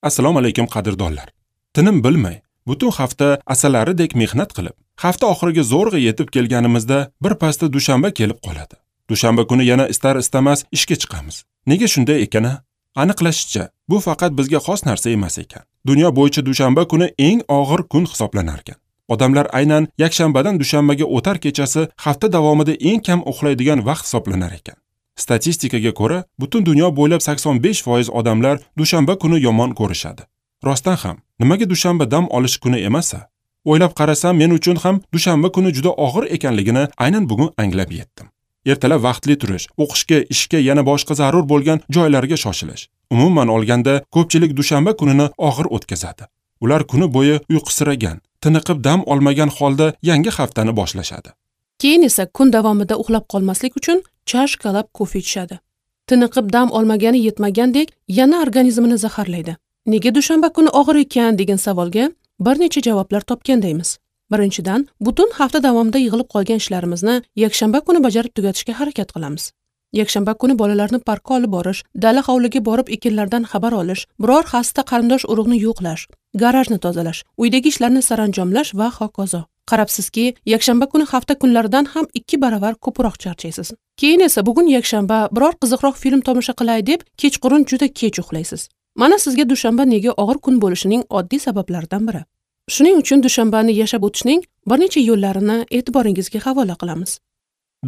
Assalomu alaykum qadrdonlar. Tinim bilmay, butun hafta asalaridek mehnat qilib, hafta oxiriga zo'rg'a yetib kelganimizda bir pasda dushanba kelib qoladi. Dushanba kuni yana istar istamas ishga chiqamiz. Nega shunday ekan-a? Aniqlashicha, bu faqat bizga xos narsa emas ekan. Dunyo bo'yicha dushanba kuni eng og'ir kun hisoblanar ekan. Odamlar aynan yakshanbadan dushanbaga o'tar kechasi hafta davomida eng kam uxlaydigan vaqt hisoblanar ekan. Statistikaga ko'ra, butun dunyo bo'ylab 85% odamlar dushanba kuni yomon ko'rishadi. Rostdan ham, nimaga dushanba dam olish kuni emas-a? O'ylab qarasam, men uchun ham dushanba kuni juda og'ir ekanligini aynan bugun anglab yetdim. Ertalab vaqtli turish, o'qishga, ishga, yana boshqa zarur bo'lgan joylarga shoshilish. Umuman olganda, ko'pchilik dushanba kunini og'ir o'tkazadi. Ular kuni bo'yi uyqusiragan, tiniqib dam olmagan holda yangi haftani boshlashadi. Keyin esa kun davomida uxlab qolmaslik uchun chashkalab kofe ichishadi. Tiniqib dam olmagani yetmagandek, yana organizmini zaharlaydi. Nega dushanba kuni og'ir ekan degan savolga bir necha javoblar topgandaymiz. Birinchidan, butun hafta davomida yig'ilib qolgan ishlarimizni yakshanba kuni bajarib tugatishga harakat qilamiz. Yakshanba kuni bolalarni parkka olib borish, dala hovliga borib ekinlardan xabar olish, biror xasta qarindosh urug'ni yo'qlash, garajni tozalash, uydagi ishlarni saranjomlash va hokazo. Qarabsizki, yakshanba kuni hafta kunlaridan ham 2 baravar ko'proq charchaysiz. Keyin esa bugun yakshanba, biror qiziqroq film tomosha qilay deb kechqurun juda kech uxlaysiz. Mana sizga dushanba nega og'ir kun bo'lishining oddiy sabablaridan biri. Shuning uchun dushanbani yashab o'tishning bir necha yo'llarini e'tiboringizga havola qilamiz.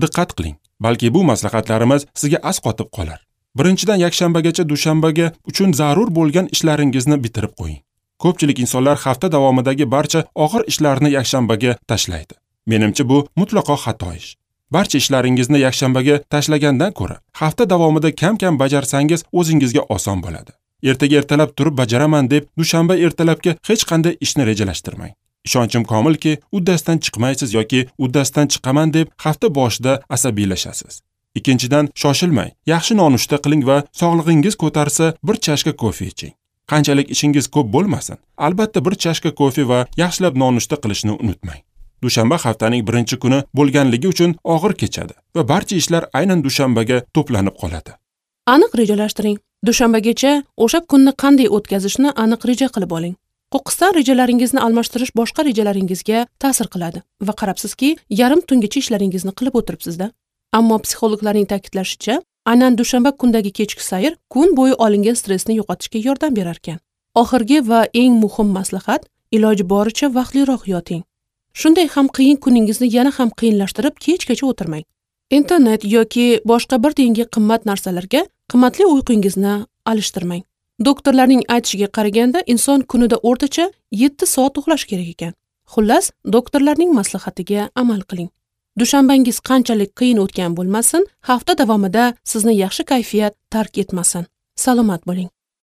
Diqqat qiling, balki bu maslahatlarimiz sizga asqotib qolar. Birinchidan, yakshanbagacha dushanbaga uchun zarur bo'lgan ishlaringizni bitirib qo'ying. Ko'pchilik insonlar hafta davomidagi barcha og'ir ishlarni yakshanbaga tashlaydi. Menimcha, bu mutlaqo xato ish. Barcha ishlaringizni yakshanbaga tashlagandan ko'ra, hafta davomida kam-kam bajarsangiz o'zingizga oson bo'ladi. Ertaga ertalab turib bajaraman deb dushanba ertalabga hech qanday ishni rejalashtirmang. Ishonchim komilki, uddasidan chiqmaysiz yoki uddasidan chiqaman deb hafta boshida asabiylashasiz. Ikkinchidan, shoshilmang, yaxshi nonushta qiling va sog'lig'ingiz ko'tarsa bir chashka kofe iching. Qanchalik ishingiz ko'p bo'lmasin, albatta bir chashka kofe va yaxshilab nonushta qilishni unutmang. Dushanba haftaning birinchi kuni bo'lganligi uchun og'ir kechadi va barcha ishlar aynan dushanbaga to'planib qoladi. Aniq rejalashtiring. Dushanbagacha o'sha kunni qanday o'tkazishni aniq reja qilib oling. Qo'qqisdan rejalaringizni almashtirish boshqa rejalaringizga ta'sir qiladi va qarabsizki, yarim tungacha ishlaringizni qilib o'tiribsiz-da. Ammo psixologlarning ta'kidlashicha, aynan dushanba kundagi kechki sayr kun bo'yi olingan stressni yo'qotishga yordam berar ekan. Oxirgi va eng muhim maslahat, iloji boricha vaqtliroq yoting. Shunday ham qiyin kuningizni yana ham qiyinlashtirib kechgacha o'tirmang. Internet yoki boshqa bir tiyinga qimmat narsalarga qimmatli uyqungizni alishtirmang. Doktorlarning aytishiga qaraganda, inson kunida o'rtacha 7 soat uxlash kerak ekan. Xullas, doktorlarning maslahatiga amal qiling. Dushanbangiz qanchalik qiyin o'tgan bo'lmasin, hafta davomida sizni yaxshi kayfiyat tark etmasin. Salomat bo'ling.